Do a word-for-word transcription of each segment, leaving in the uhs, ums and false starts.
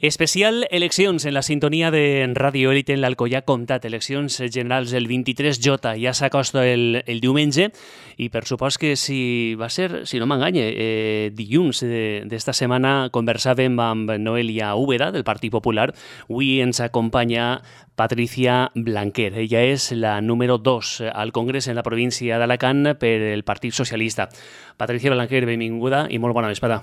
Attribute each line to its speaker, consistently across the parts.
Speaker 1: Especial eleccions en la sintonia de Radio Élite en l'Alcoià Comtat. Eleccions generals el vint-i-tres J. Ja s'acosta el, el diumenge i per supost que si va ser, si no m'enganye, eh, dilluns d'esta setmana conversàvem amb Noelia Úbeda del Partit Popular. Avui ens acompanya Patricia Blanquer. Ella és la número dos al Congrés en la província d'Alacant per el Partit Socialista. Patricia Blanquer, benvinguda i molt bona vesprada.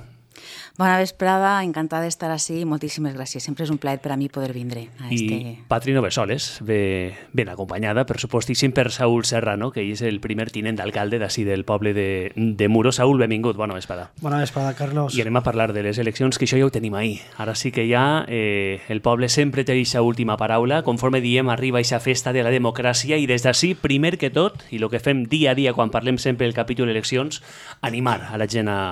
Speaker 2: Bona vesprada, encantada d'estar així, moltíssimes gràcies. Sempre és un plaer per a mi poder vindre a este...
Speaker 1: I Patri no ve soles, ve ben acompanyada, per supostíssim, per Saúl Serrano, que és el primer tinent d'alcalde d'ací del poble de, de Muro. Saúl, benvingut, bona vesprada.
Speaker 3: Bona vesprada, Carlos.
Speaker 1: I anem a parlar de les eleccions, que això ja ho tenim ahir. Ara sí que ja eh, el poble sempre té aquesta última paraula. Conforme diem, arriba aquesta festa de la democràcia i des d'ací, primer que tot, i el que fem dia a dia quan parlem sempre del capítol eleccions, animar a la gent a...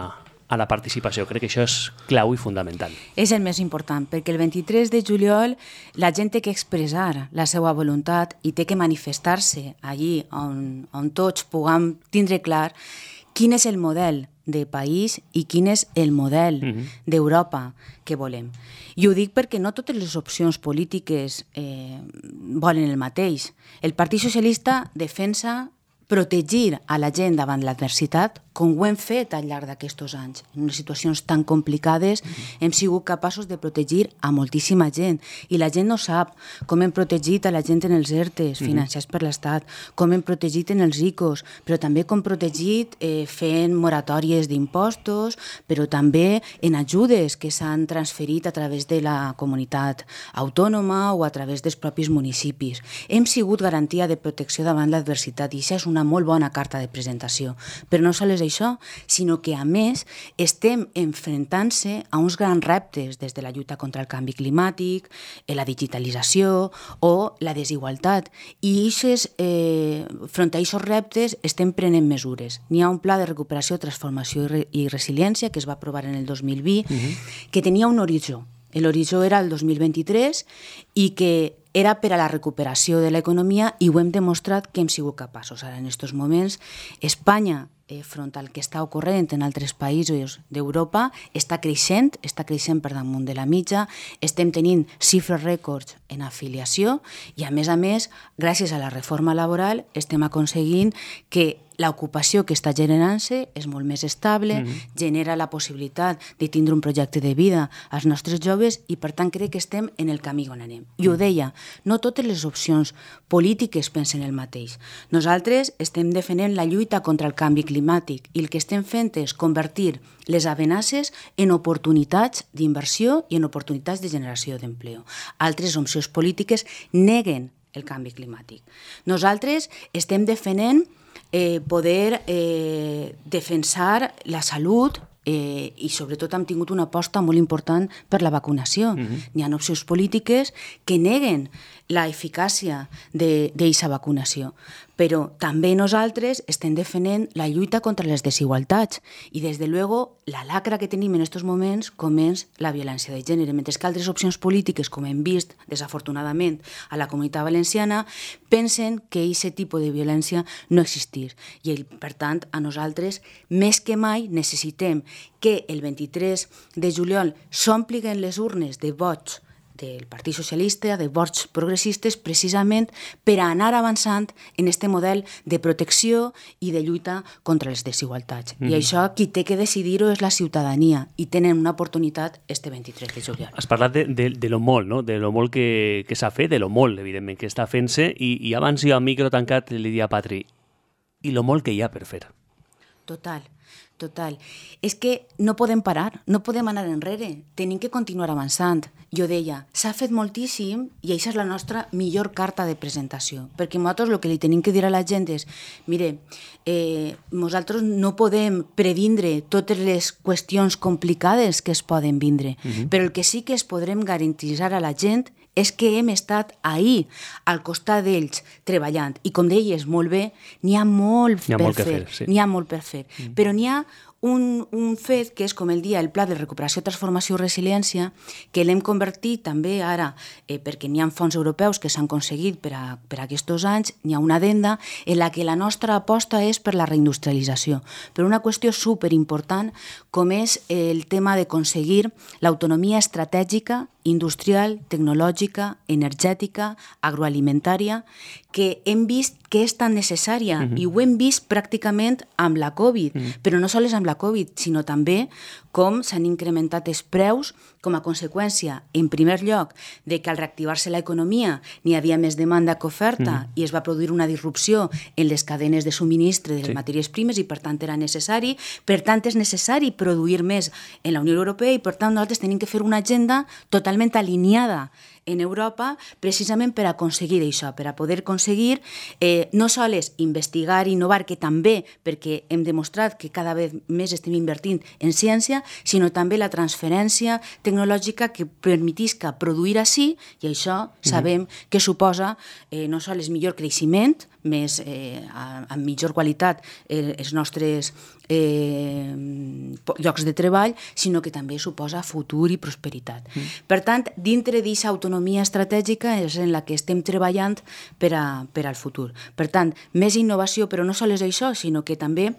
Speaker 1: a la participació. Crec que això és clau i fundamental.
Speaker 2: És el més important, perquè el vint-i-tres de juliol la gent té que expressar la seva voluntat i té que manifestar-se allí on, on tots puguem tindre clar quin és el model de país i quin és el model uh-huh. d'Europa que volem. I ho dic perquè no totes les opcions polítiques eh, volen el mateix. El Partit Socialista defensa protegir a la gent davant l'adversitat, com ho hem fet al llarg d'aquests anys. En unes situacions tan complicades mm-hmm. hem sigut capaços de protegir a moltíssima gent. I la gent no sap com hem protegit a la gent en els ERTEs, mm-hmm. financiats per l'Estat, com hem protegit en els I C Os, però també com hem protegit eh, fent moratòries d'impostos, però també en ajudes que s'han transferit a través de la comunitat autònoma o a través dels propis municipis. Hem sigut garantia de protecció davant l'adversitat i això és una una molt bona carta de presentació. Però no sols això, sinó que, a més, estem enfrontant-se a uns grans reptes des de la lluita contra el canvi climàtic, la digitalització o la desigualtat. I ixes, eh, front a aquests reptes estem prenent mesures. N'hi ha un pla de recuperació, transformació i, re i resiliència que es va aprovar en el dos mil vint, uh-huh. que tenia un horitzó. L'horitzó era el dos mil vint-i-tres i que era per a la recuperació de l'economia i ho hem demostrat que hem sigut capaços. Ara, en aquests moments, Espanya, eh, front al que està ocorrent en altres països d'Europa, està creixent, està creixent per damunt de la mitja, estem tenint xifres rècords en afiliació i, a més a més, gràcies a la reforma laboral, estem aconseguint que l'ocupació que està generant-se és molt més estable, mm-hmm. genera la possibilitat de tindre un projecte de vida als nostres joves i, per tant, crec que estem en el camí on anem. I ho deia, no totes les opcions polítiques pensen el mateix. Nosaltres estem defendent la lluita contra el canvi climàtic i el que estem fent és convertir les amenaces en oportunitats d'inversió i en oportunitats de generació d'empleo. Altres opcions polítiques neguen el canvi climàtic. Nosaltres estem defendent Eh, poder eh, defensar la salut eh, i sobretot hem tingut una aposta molt important per la vacunació. Mm-hmm. N'hi ha opcions polítiques que neguen la eficàcia d'aquesta vacunació, però també nosaltres estem defendent la lluita contra les desigualtats i, des de luego, la lacra que tenim en aquests moments com és la violència de gènere, mentre que altres opcions polítiques, com hem vist, desafortunadament, a la Comunitat Valenciana, pensen que aquest tipus de violència no existeix. I, per tant, a nosaltres, més que mai, necessitem que el vint-i-tres de juliol s'omplin les urnes de vots del Partit Socialista, de vots progressistes, precisament per a anar avançant en aquest model de protecció i de lluita contra les desigualtats. Mm-hmm. I això qui té que decidir-ho és la ciutadania i tenen una oportunitat este vint-i-tres de juliol.
Speaker 1: Has parlat de, de, de lo molt, no? De lo molt que, que s'ha fet, de lo molt, evidentment, que està fent-se, i, i abans jo a micro tancat li dia a Patri, i lo molt que hi ha per fer.
Speaker 2: Total. Total. És que no podem parar, no podem anar enrere, tenim que continuar avançant. Jo deia, s'ha fet moltíssim i això és la nostra millor carta de presentació, perquè nosaltres el que li tenim que dir a la gent és, mire, eh, nosaltres no podem previndre totes les qüestions complicades que es poden vindre, uh-huh. però el que sí que es podrem garantitzar a la gent és que hem estat ahir, al costat d'ells, treballant. I com deies molt bé, n'hi ha molt
Speaker 1: n'hi ha
Speaker 2: per
Speaker 1: molt
Speaker 2: fer,
Speaker 1: fer sí.
Speaker 2: n'hi ha molt per fer. Mm. Però n'hi ha un, un fet que és com el dia el Pla de Recuperació, Transformació i Resiliència, que l'hem convertit també ara, eh, perquè n'hi ha fons europeus que s'han aconseguit per a, per a aquests anys, n'hi ha una addenda en la que la nostra aposta és per la reindustrialització. Per una qüestió superimportant com és el tema d'aconseguir l'autonomia estratègica industrial, tecnològica, energètica, agroalimentària, que hem vist que és tan necessària uh-huh. i ho hem vist pràcticament amb la Covid, uh-huh. però no sols amb la Covid, sinó també com s'han incrementat els preus com a conseqüència, en primer lloc, de que al reactivar-se l'economia n'hi havia més demanda que oferta uh-huh. i es va produir una disrupció en les cadenes de subministre de les sí. matèries primes i per tant era necessari, per tant és necessari produir més en la Unió Europea i per tant nosaltres tenim que fer una agenda totalment alineada en Europa precisament per aconseguir això, per a poder aconseguir eh, no sols investigar i innovar, que també perquè hem demostrat que cada vegada més estem invertint en ciència, sinó també la transferència tecnològica que permetisca produir així, i això sabem mm-hmm. que suposa eh, no sols millor creixement, més, eh, amb millor qualitat eh, els nostres eh, llocs de treball, sinó que també suposa futur i prosperitat. Mm. Per tant, dintre d'aquesta autonomia estratègica és en la que estem treballant per, a, per al futur. Per tant, més innovació, però no sols això, sinó que també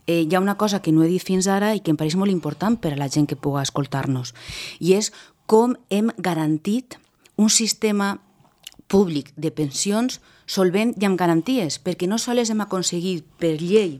Speaker 2: eh, hi ha una cosa que no he dit fins ara i que em pareix molt important per a la gent que pugui escoltar-nos, i és com hem garantit un sistema públic de pensions solvent i amb garanties, perquè no sols hem aconseguit per llei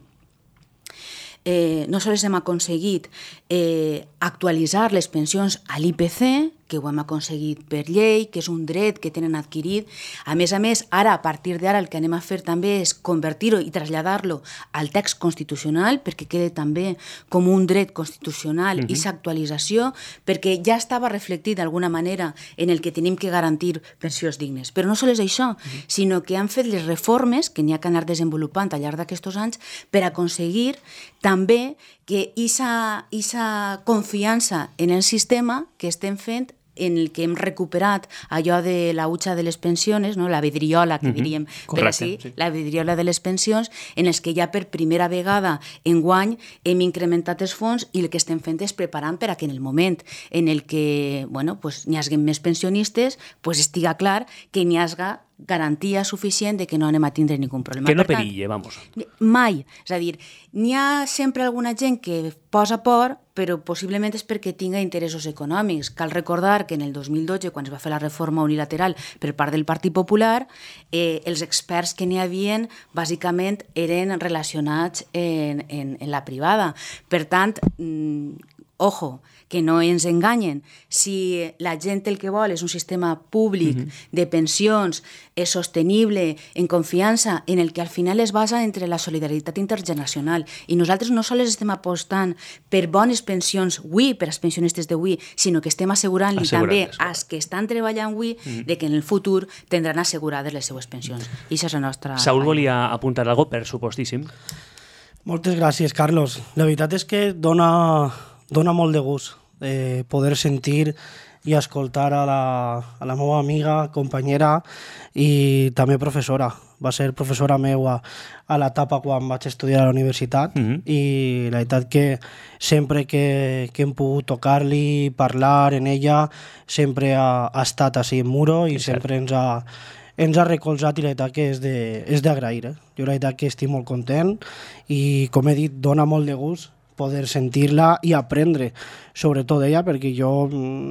Speaker 2: eh, no sols hem aconseguit eh, actualitzar les pensions a l'I P C, que ho hem aconseguit per llei, que és un dret que tenen adquirit. A més a més, ara, a partir d'ara, el que anem a fer també és convertir-ho i traslladar-lo al text constitucional, perquè quede també com un dret constitucional i uh-huh. actualització, perquè ja estava reflectit d'alguna manera en el que tenim que garantir pensions dignes. Però no sols això, uh-huh. sinó que han fet les reformes que n'hi ha que anar desenvolupant al llarg d'aquests anys per aconseguir també que aquesta confiança en el sistema que estem fent, en el que hem recuperat allò de la hucha de les pensions, no? La vidriola, que diríem, uh-huh.
Speaker 1: Correcte,
Speaker 2: per així, sí. la vidriola de les pensions, en els que ja per primera vegada enguany hem incrementat els fons i el que estem fent és preparant per a que en el moment en el que bueno, pues, n'hi hagi més pensionistes, pues, estiga clar que n'hi hagi garantia suficient de que no anem a tindre ningun problema.
Speaker 1: Que no perille, vamos.
Speaker 2: Mai. És a dir, n'hi ha sempre alguna gent que posa por, però possiblement és perquè tinga interessos econòmics. Cal recordar que en el dos mil dotze, quan es va fer la reforma unilateral per part del Partit Popular, eh, els experts que n'hi havien bàsicament eren relacionats en, en, en la privada. Per tant, mm, ojo, que no ens enganyen. Si la gent el que vol és un sistema públic uh-huh. de pensions és sostenible, en confiança, en el que al final es basa entre la solidaritat intergeneracional. I nosaltres no sols estem apostant per bones pensions avui, per als pensionistes d'avui, sinó que estem assegurant-li també als que estan treballant avui uh-huh. de que en el futur tindran assegurades les seues pensions. I això és la nostra...
Speaker 1: Saúl volia apuntar alguna cosa, per supostíssim.
Speaker 3: Moltes gràcies, Carlos. La veritat és que dona... Dona molt de gust eh, poder sentir i escoltar a la, a la meva amiga, companyera i també professora. Va ser professora meua a l'etapa quan vaig estudiar a la universitat uh-huh. i la veritat que sempre que, que hem pogut tocar-li, parlar en ella, sempre ha, ha estat així en muro i és sempre cert. ens ha... ens ha recolzat i la veritat que és d'agrair. Eh? Jo la veritat que estic molt content i, com he dit, dona molt de gust poder sentir-la i aprendre sobretot d'ella, perquè jo,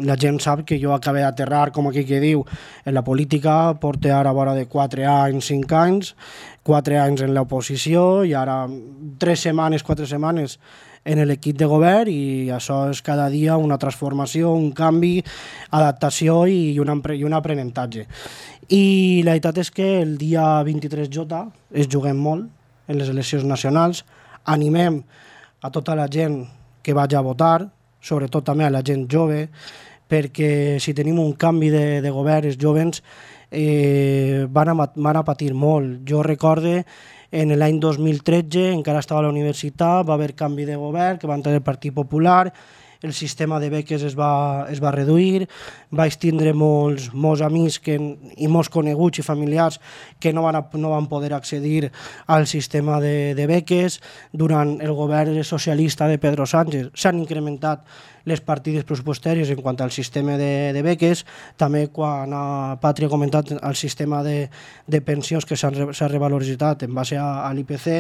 Speaker 3: la gent sap que jo acabé d'aterrar, com aquí que diu, en la política, porto ara a vora de quatre anys, cinc anys, quatre anys en l'oposició i ara tres setmanes, quatre setmanes en l'equip de govern i això és cada dia una transformació, un canvi, adaptació i un, i un aprenentatge. I la veritat és que el dia vint-i-tres J es juguem molt en les eleccions nacionals, animem a tota la gent que vagi a votar, sobretot també a la gent jove, perquè si tenim un canvi de, de govern, els jovens eh, van, a, van a patir molt. Jo recorde en l'any dos mil tretze, encara estava a la universitat, va haver canvi de govern, que va entrar el Partit Popular, el sistema de beques es va, es va reduir, vaig tindre molts, molts amics que, i molts coneguts i familiars que no van, a, no van poder accedir al sistema de, de beques. Durant el govern socialista de Pedro Sánchez s'han incrementat les partides pressupostàries en quant al sistema de, de beques, també quan a Pàtria ha comentat el sistema de, de pensions que s'ha revaloritzat en base a, a l'I P C,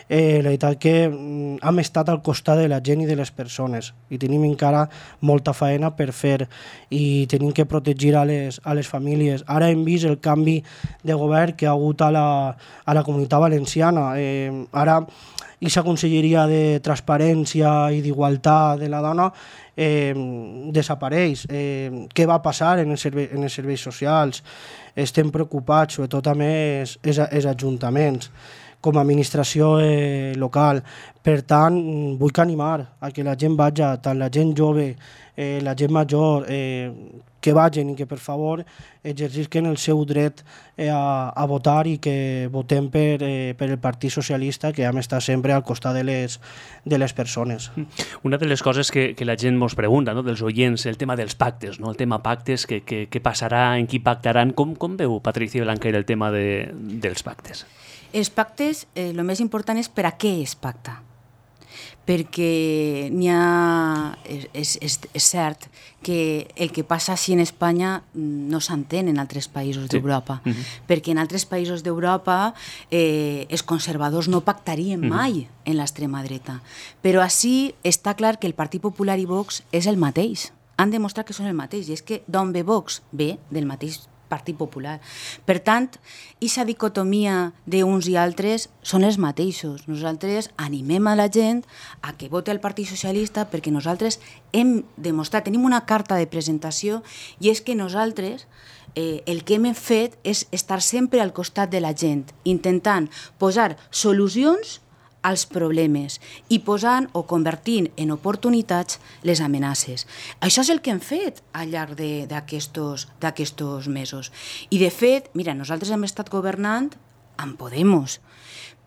Speaker 3: eh, la veritat que mm, hem estat al costat de la gent i de les persones i tenim encara molta feina per fer i tenim que protegir a les, a les famílies. Ara hem vist el canvi de govern que ha hagut a la, a la Comunitat Valenciana. Eh, ara, aquesta conselleria de transparència i d'igualtat de la dona eh, desapareix. Eh, què va passar en els, serve en els serveis socials? Estem preocupats, sobretot també els, els, els ajuntaments, com a administració eh, local. Per tant, vull animar a que la gent vagi, tant la gent jove, eh, la gent major, eh, que vagin i que, per favor, exercisquen el seu dret eh, a, a votar i que votem per, eh, per el Partit Socialista, que hem estat sempre al costat de les, de les persones.
Speaker 1: Una de les coses que, que la gent ens pregunta, no?, dels oients, el tema dels pactes, no?, el tema pactes, què que, que passarà, en qui pactaran, com, com veu Patricia Blanquer el tema de, dels pactes?
Speaker 2: Els pactes, eh, el més important és per a què es pacta. Perquè n'hi ha... És, és, és cert que el que passa així en Espanya no s'entén en altres països sí. d'Europa. Uh-huh. Perquè en altres països d'Europa eh, els conservadors no pactarien uh-huh. mai en l'extrema dreta. Però així està clar que el Partit Popular i Vox és el mateix. Han demostrat que són el mateix. I és que d'on ve Vox? Ve del mateix Partit Popular. Per tant, aquesta dicotomia d'uns i altres són els mateixos. Nosaltres animem a la gent a que vote el Partit Socialista perquè nosaltres hem demostrat, tenim una carta de presentació i és que nosaltres eh, el que hem fet és estar sempre al costat de la gent, intentant posar solucions als problemes i posant o convertint en oportunitats les amenaces. Això és el que hem fet al llarg d'aquests mesos. I de fet, mira, nosaltres hem estat governant amb Podemos,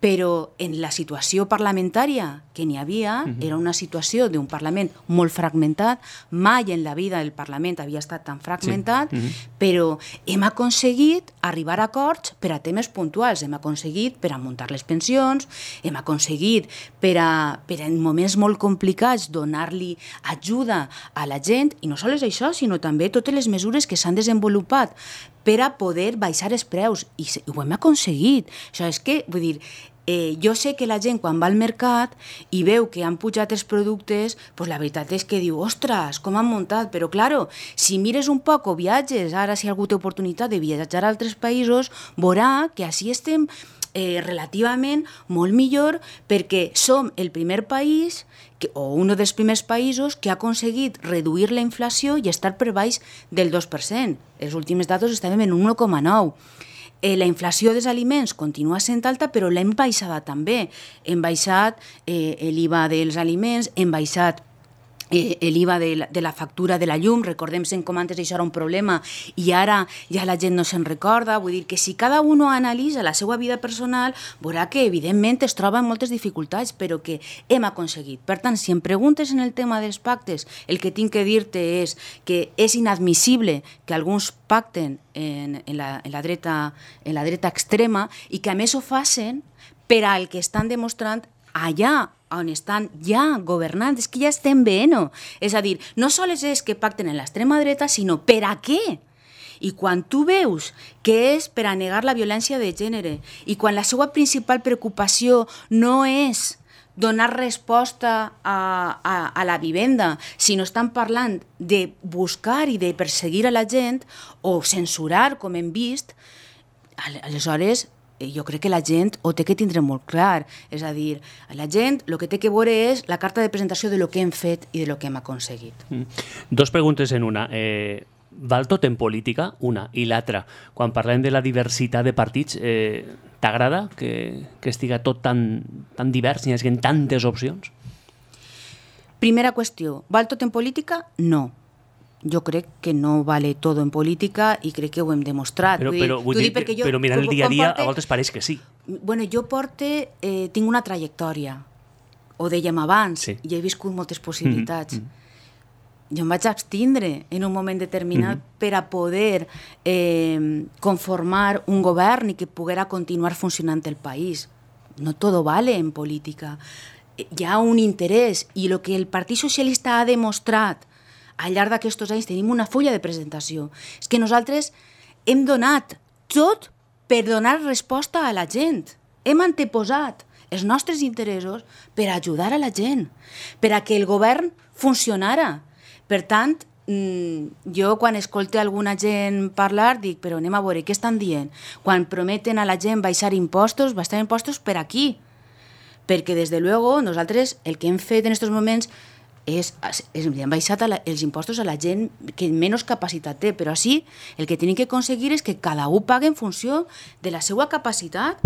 Speaker 2: però en la situació parlamentària que n'hi havia, uh-huh. era una situació d'un Parlament molt fragmentat, mai en la vida del Parlament havia estat tan fragmentat, sí. uh-huh. però hem aconseguit arribar a acords per a temes puntuals, hem aconseguit per a muntar les pensions, hem aconseguit per a, per a en moments molt complicats donar-li ajuda a la gent, i no sols això, sinó també totes les mesures que s'han desenvolupat per a poder baixar els preus, i ho hem aconseguit. Això és que, vull dir, Eh, jo sé que la gent quan va al mercat i veu que han pujat els productes, pues la veritat és que diu, ostres, com han muntat, però claro, si mires un poc o viatges, ara si algú té oportunitat de viatjar a altres països, veurà que així estem eh, relativament molt millor perquè som el primer país que, o un dels primers països que ha aconseguit reduir la inflació i estar per baix del dos per cent. Els últims datos estàvem en un u coma nou. Eh, la inflació dels aliments continua sent alta, però l'hem baixada també. Hem baixat eh, l'I V A dels aliments, hem baixat eh, l'I V A de la, de la factura de la llum. Recordem-se'n com antes això era un problema i ara ja la gent no se'n recorda. Vull dir que si cada un analitza la seva vida personal, veurà que evidentment es troba en moltes dificultats, però que hem aconseguit. Per tant, si em preguntes en el tema dels pactes, el que tinc que dir-te és que és inadmissible que alguns pacten en, en, la, en, la dreta, en la dreta extrema i que a més ho facin per al que estan demostrant allà on estan ja governant. És que ja estem bé, no? És a dir, no sols és que pacten en l'extrema dreta, sinó per a què? I quan tu veus que és per a negar la violència de gènere i quan la seva principal preocupació no és donar resposta a, a, a la vivenda, si no estan parlant de buscar i de perseguir a la gent o censurar, com hem vist, aleshores jo crec que la gent ho té que tindre molt clar. És a dir, la gent el que té que veure és la carta de presentació de lo que hem fet i de lo que hem aconseguit.
Speaker 1: Mm. Dos preguntes en una. Eh, val tot en política? Una. I l'altra, quan parlem de la diversitat de partits, eh, t'agrada que, que estiga tot tan, tan divers, hi hagi tantes opcions?
Speaker 2: Primera qüestió, val tot en política? No. Jo crec que no vale tot en política i crec que ho hem demostrat.
Speaker 1: Però, però, vull dir, dir, jo, però mirant el dia a dia, porte, a voltes pareix que sí.
Speaker 2: Bueno, jo porte, eh, tinc una trajectòria, ho dèiem abans, sí. i he viscut moltes possibilitats. Mm-hmm. Jo em vaig abstindre en un moment determinat mm-hmm. per a poder eh, conformar un govern i que poguera continuar funcionant el país. No todo vale en política. Hi ha un interès i el que el Partit Socialista ha demostrat al llarg d'aquests anys, tenim una fulla de presentació. És que nosaltres hem donat tot per donar resposta a la gent. Hem anteposat els nostres interessos per ajudar a la gent, per a que el govern funcionara. Per tant, jo quan escolto alguna gent parlar dic, però anem a veure què estan dient. Quan prometen a la gent baixar impostos, baixar impostos per aquí. Perquè, des de luego, nosaltres el que hem fet en aquests moments és, és hem baixat la, els impostos a la gent que menys capacitat té, però així el que tenim que aconseguir és que cada un pagui en funció de la seva capacitat,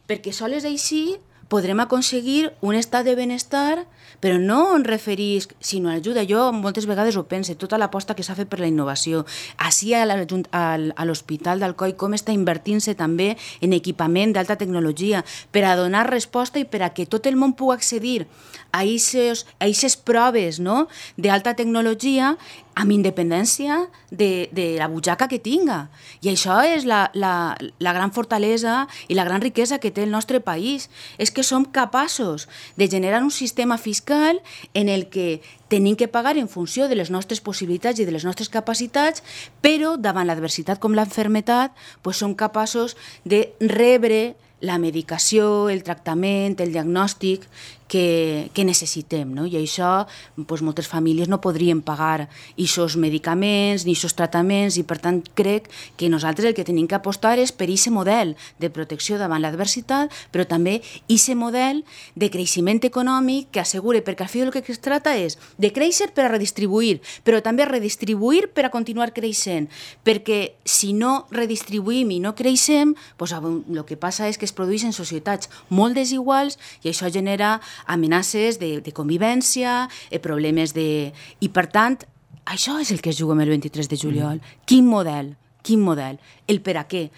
Speaker 2: perquè sols així podrem aconseguir un estat de benestar, però no en referís, sinó a ajuda. Jo moltes vegades ho pense, tota l'aposta que s'ha fet per la innovació. Així a l'Hospital d'Alcoi com està invertint-se també en equipament d'alta tecnologia per a donar resposta i per a que tot el món pugui accedir a aquestes proves, no?, d'alta tecnologia amb independència de, de la butxaca que tinga. I això és la, la, la gran fortalesa i la gran riquesa que té el nostre país. És que som capaços de generar un sistema fiscal en el que tenim que pagar en funció de les nostres possibilitats i de les nostres capacitats, però davant l'adversitat com l'enfermetat, pues som capaços de rebre la medicació, el tractament, el diagnòstic que, que necessitem, no? I això, doncs, moltes famílies no podrien pagar aquests medicaments ni aquests tractaments i, per tant, crec que nosaltres el que tenim que apostar és per aquest model de protecció davant l'adversitat, però també aquest model de creixement econòmic que assegure, perquè al final el que es tracta és de créixer per a redistribuir, però també redistribuir per a continuar creixent, perquè si no redistribuïm i no creixem, doncs, el que passa és que es produeixen societats molt desiguals i això genera amenaces de, de convivència, eh, problemes de... I, per tant, això és el que es juga el vint-i-tres de juliol. Mm. Quin model? Quin model? El per a què?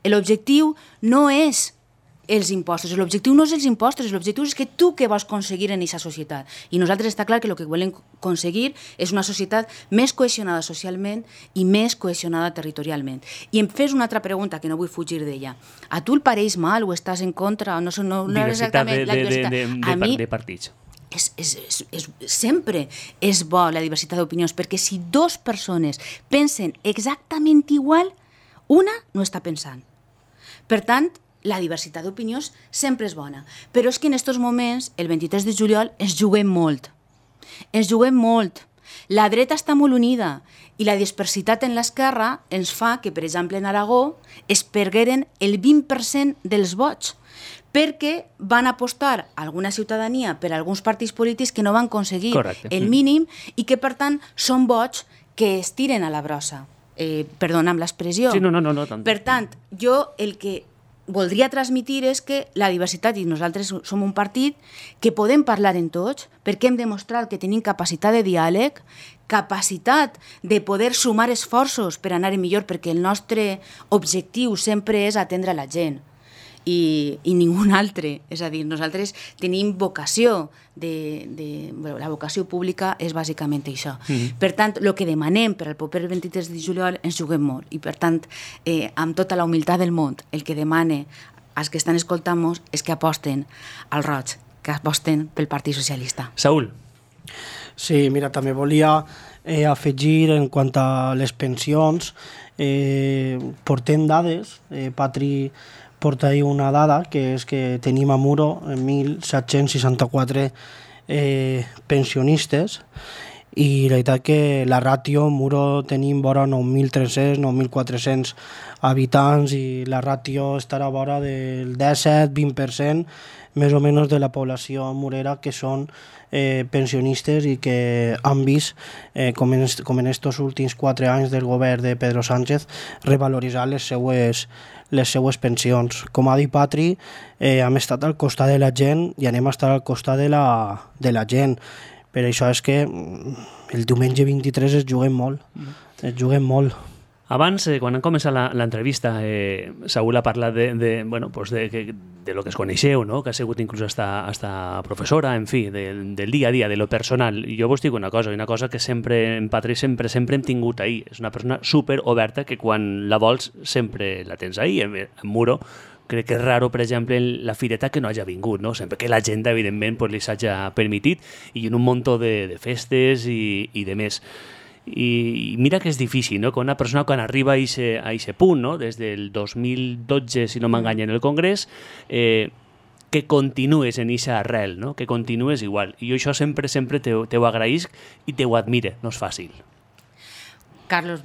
Speaker 2: L'objectiu no és els impostos, l'objectiu no és els impostos, l'objectiu és que tu què vols aconseguir en aquesta societat. I nosaltres està clar que el que volem aconseguir és una societat més cohesionada socialment i més cohesionada territorialment. I em fes una altra pregunta, que no vull fugir d'ella. A tu el pareix mal o estàs en contra? No, no, no
Speaker 1: exactament de, la diversitat. De, de, de, mi, de partits.
Speaker 2: És, és, és, és, sempre és bo la diversitat d'opinions, perquè si dues persones pensen exactament igual, una no està pensant. Per tant, la diversitat d'opinions sempre és bona. Però és que en aquests moments, el vint-i-tres de juliol, ens juguem molt. Ens juguem molt. La dreta està molt unida i la dispersitat en l'esquerra ens fa que, per exemple, en Aragó es pergueren el vint per cent dels vots perquè van apostar alguna ciutadania per a alguns partits polítics que no van aconseguir Correcte. el mínim i que, per tant, són vots que es tiren a la brossa. Eh, perdona amb l'expressió.
Speaker 1: Sí, no, no, no, no, tant.
Speaker 2: Per tant, jo el que voldria transmitir és que la diversitat, i nosaltres som un partit que podem parlar en tots, perquè hem demostrat que tenim capacitat de diàleg, capacitat de poder sumar esforços per anar millor, perquè el nostre objectiu sempre és atendre la gent i, i ningú altre. És a dir, nosaltres tenim vocació, de, de, bueno, la vocació pública és bàsicament això. Mm-hmm. Per tant, el que demanem per al proper vint-i-tres de juliol ens juguem molt i, per tant, eh, amb tota la humilitat del món, el que demane als que estan escoltant-nos és que aposten al roig, que aposten pel Partit Socialista.
Speaker 1: Saúl.
Speaker 3: Sí, mira, també volia eh, afegir en quant a les pensions, eh, portem dades, eh, Patri porta ahí una dada, que és que tenim a Muro mil set-cents seixanta-quatre eh, pensionistes i la veritat que la ràtio Muro tenim vora nou mil tres-cents, nou mil quatre-cents habitants i la ràtio estarà vora del disset vint per cent més o menys de la població murera que són eh, pensionistes i que han vist, eh, com en estos com en últims quatre anys del govern de Pedro Sánchez, revaloritzar les seues les seues pensions. Com ha dit Patri, eh, hem estat al costat de la gent i anem a estar al costat de la, de la gent. Per això és que el diumenge vint-i-tres es juguem molt, es juguem molt.
Speaker 1: Abans, eh, quan han començat l'entrevista, eh, Saúl ha parlat de, de, bueno, pues de, de, de lo que es coneixeu, no? Que ha sigut inclús hasta, hasta professora, en fi, de, del dia a dia, de lo personal. I jo vos dic una cosa, una cosa que sempre, en Patri, sempre, sempre hem tingut ahí. És una persona super oberta que quan la vols sempre la tens ahí. En, en Muro, crec que és raro, per exemple, la fireta que no hagi vingut, no? Sempre que l'agenda, evidentment, pues, li s'hagi permitit i en un munt de, de festes i, i de més. I mira que és difícil, no? Que una persona quan arriba a aquest punt, no? Des del dos mil dotze, si no m'enganya, en el Congrés, eh, que continues en eixa arrel, no? Que continues igual. I jo això sempre, sempre te, te ho agraïsc i te ho admire, no és fàcil.
Speaker 2: Carlos,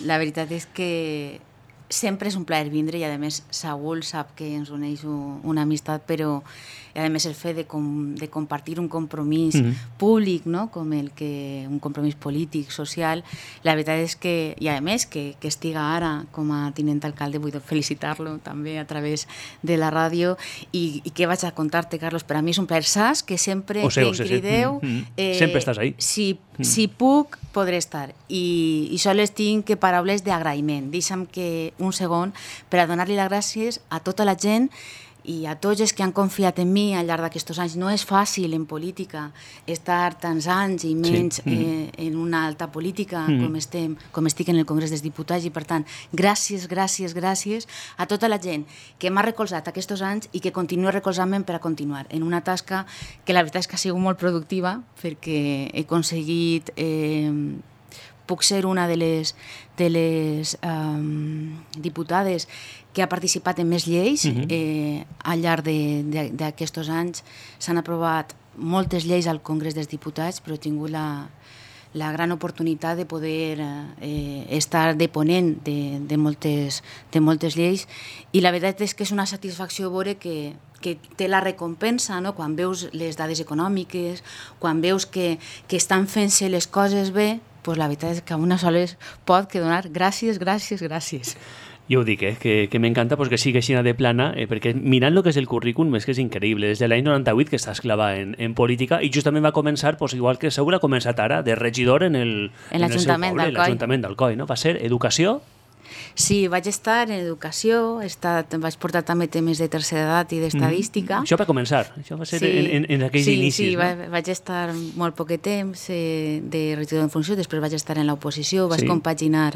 Speaker 2: la veritat és que sempre és un plaer vindre i a més Saúl sap que ens uneix una amistat, però a més el fet de, com, de compartir un compromís mm-hmm. públic, no? Com el que un compromís polític, social, la veritat és que, i a més que, que estiga ara com a tinent alcalde, vull felicitar-lo també a través de la ràdio i, i què vaig a contar-te, Carlos, per a mi és un plaer, saps que sempre
Speaker 1: o sé,
Speaker 2: que
Speaker 1: o sé,
Speaker 2: em crideu
Speaker 1: sí. mm-hmm. eh, sempre estàs ahí.
Speaker 2: Si, mm. si puc, podré estar i, i sols tinc que paraules d'agraïment. Deixa'm que un segon per a donar-li les gràcies a tota la gent i a tots els que han confiat en mi al llarg d'aquests anys. No és fàcil en política estar tants anys i menys sí. eh, en una alta política mm. com, estem, com estic en el Congrés dels Diputats i per tant, gràcies, gràcies, gràcies a tota la gent que m'ha recolzat aquests anys i que continua recolzant-me per a continuar en una tasca que la veritat és que ha sigut molt productiva perquè he aconseguit eh, puc ser una de les, de les um, diputades que ha participat en més lleis. Uh-huh. eh, al llarg d'aquests anys s'han aprovat moltes lleis al Congrés dels Diputats, però he tingut la, la gran oportunitat de poder eh, estar de ponent de, de, moltes, de moltes lleis i la veritat és que és una satisfacció veure que que té la recompensa, no? Quan veus les dades econòmiques, quan veus que, que estan fent-se les coses bé, pues la veritat és que a una sola pot que donar gràcies, gràcies, gràcies.
Speaker 1: Jo ho dic, eh, que, que m'encanta pues, que sigui així de plana, eh, perquè mirant el que és el currículum és que és increïble. Des de l'any noranta-vuit que estàs clavada en, en política i justament va començar, pues, igual que Saúl ha començat ara, de regidor en el,
Speaker 2: en l'Ajuntament d'Alcoi.
Speaker 1: L'Ajuntament d'Alcoi, no? Va ser educació.
Speaker 2: Sí, vaig estar en educació, he estat, vaig portar també temes de tercera edat i d'estadística.
Speaker 1: Mm. Això va començar, això va ser sí, en, en, en aquells
Speaker 2: sí,
Speaker 1: inicis.
Speaker 2: Sí,
Speaker 1: no?
Speaker 2: va, vaig estar molt poc temps eh, de regidor en funció, després vaig estar en l'oposició, vaig sí. compaginar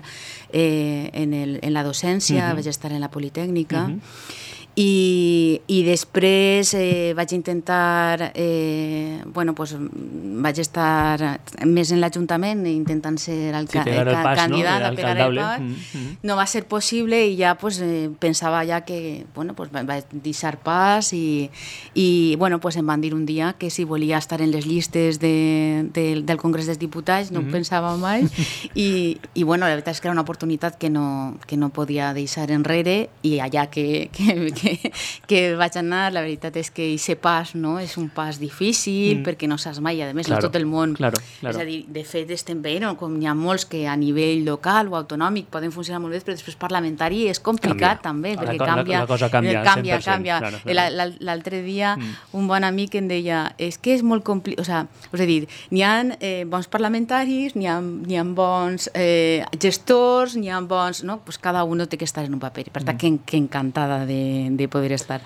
Speaker 2: eh, en, el, en la docència, mm-hmm. vaig estar en la Politècnica, mm-hmm. I, i després eh, vaig intentar eh, bueno, pues, vaig estar més en l'Ajuntament intentant ser el,
Speaker 1: sí, el pas,
Speaker 2: candidat
Speaker 1: no?
Speaker 2: a pegar el pas mm-hmm. no va ser possible i ja pues, eh, pensava ja que bueno, pues, vaig deixar pas i, i bueno, pues, em van dir un dia que si volia estar en les llistes de, de, del Congrés dels Diputats no mm-hmm. ho pensava mai i, i bueno, la veritat és que era una oportunitat que no, que no podia deixar enrere i allà que, que, que Que, que vaig anar, la veritat és que aquest pas no, és un pas difícil mm. perquè no saps mai, a més, claro, no tot el món.
Speaker 1: Claro, claro.
Speaker 2: És a dir, de fet, estem veient no? Com hi ha molts que a nivell local o autonòmic poden funcionar molt bé, però després parlamentari és complicat canvia. També, perquè la, canvia,
Speaker 1: la, la cosa canvia,
Speaker 2: canvia, canvia. Claro, claro. L'altre dia mm. un bon amic em deia és que és molt complicat, o sea, és a dir, n'hi ha eh, bons parlamentaris, n'hi ha, n'hi ha bons eh, gestors, n'hi ha bons... No? Pues cada un té que estar en un paper. Per tant, mm. que, que encantada de, de poder estar.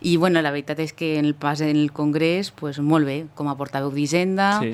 Speaker 2: I bueno, la veritat és que en el pas en el Congrés, pues, molt bé, com a portaveu d'Hisenda, sí.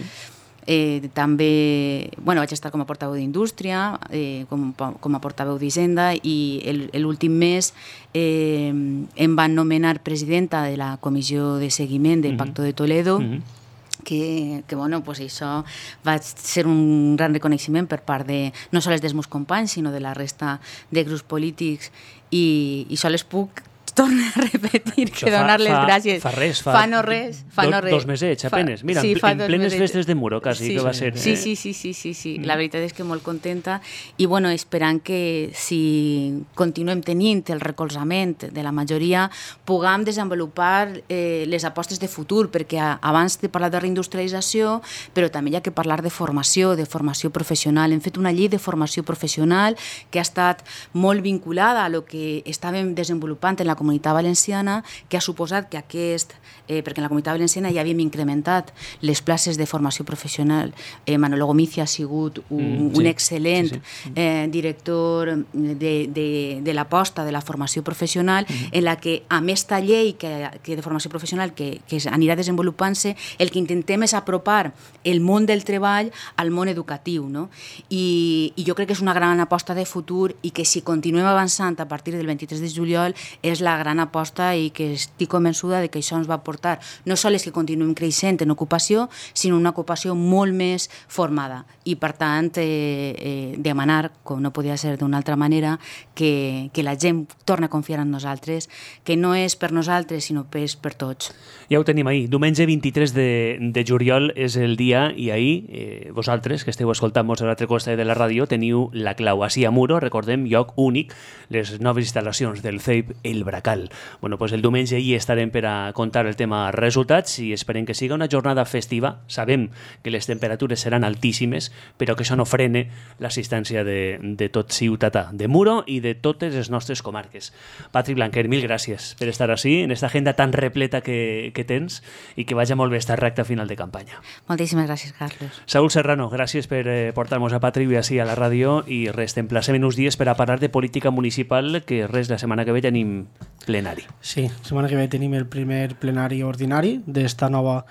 Speaker 2: eh, també, bueno, vaig estar com a portaveu d'Indústria, eh, com, com a portaveu d'Hisenda i l'últim mes eh, em van nomenar presidenta de la Comissió de Seguiment del mm-hmm. Pacto de Toledo, mm-hmm. que, que bueno, pues això va ser un gran reconeixement per part de, no sols dels meus companys, sinó de la resta de grups polítics i, i sols puc tornar a repetir això que donar les
Speaker 1: fa,
Speaker 2: gràcies.
Speaker 1: Fa res, fa,
Speaker 2: fa no res. Fa
Speaker 1: do,
Speaker 2: no res.
Speaker 1: Dos mesets, apenes. Mira,
Speaker 2: sí,
Speaker 1: en, en plenes festes de Muro, quasi,
Speaker 2: sí,
Speaker 1: que va ser...
Speaker 2: Sí, sí, sí, sí, sí, sí. Mm. La veritat és que molt contenta i, bueno, esperant que si continuem tenint el recolzament de la majoria, puguem desenvolupar eh, les apostes de futur, perquè abans de parlar de reindustrialització, però també hi ha que parlar de formació, de formació professional. Hem fet una llei de formació professional que ha estat molt vinculada a lo que estàvem desenvolupant en la comunitat valenciana, que ha suposat que aquest, eh, perquè en la comunitat valenciana ja havíem incrementat les places de formació professional. Eh, Manolo Gomici ha sigut un, mm, sí, un excel·lent sí, sí. Eh, director de, de, de l'aposta de la formació professional, mm-hmm. en la que, amb esta llei que, que de formació professional que, que anirà desenvolupant-se, el que intentem és apropar el món del treball al món educatiu, no? I, i jo crec que és una gran aposta de futur i que si continuem avançant a partir del vint-i-tres de juliol és la gran aposta i que estic convençuda de que això ens va portar no sols que continuem creixent en ocupació, sinó una ocupació molt més formada. I, per tant, eh, eh, demanar, com no podia ser d'una altra manera, que, que la gent torni a confiar en nosaltres, que no és per nosaltres, sinó per, per tots.
Speaker 1: Ja ho tenim ahir. Diumenge vint-i-tres de, de juliol és el dia i ahir eh, vosaltres, que esteu escoltant-nos a l'altre costat de la ràdio, teniu la clau. Així a Muro, recordem, lloc únic, les noves instal·lacions del C E I P El Bracal. Bueno, pues el diumenge hi estarem per a contar el tema resultats i esperem que siga una jornada festiva. Sabem que les temperatures seran altíssimes, però que això no frene l'assistència de, de tot ciutadà de Muro i de totes les nostres comarques. Patri Blanquer, mil gràcies per estar així, en esta agenda tan repleta que, que tens, i que vagi molt bé esta recta final de campanya.
Speaker 2: Moltíssimes gràcies, Carlos.
Speaker 1: Saúl Serrano, gràcies per eh, portar-nos a Patri així a la ràdio, i res, t'emplacem en uns dies per a parlar de política municipal, que res, la setmana que ve tenim plenari.
Speaker 3: Sí, la setmana que ve tenim el primer plenari ordinari d'esta nova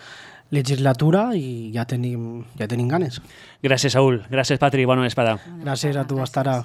Speaker 3: legislatura i ja tenim, ja tenim ganes.
Speaker 1: Gràcies, Saúl. Gràcies, Patri. Bona vesprada.
Speaker 3: Gràcies a tu, hasta ara.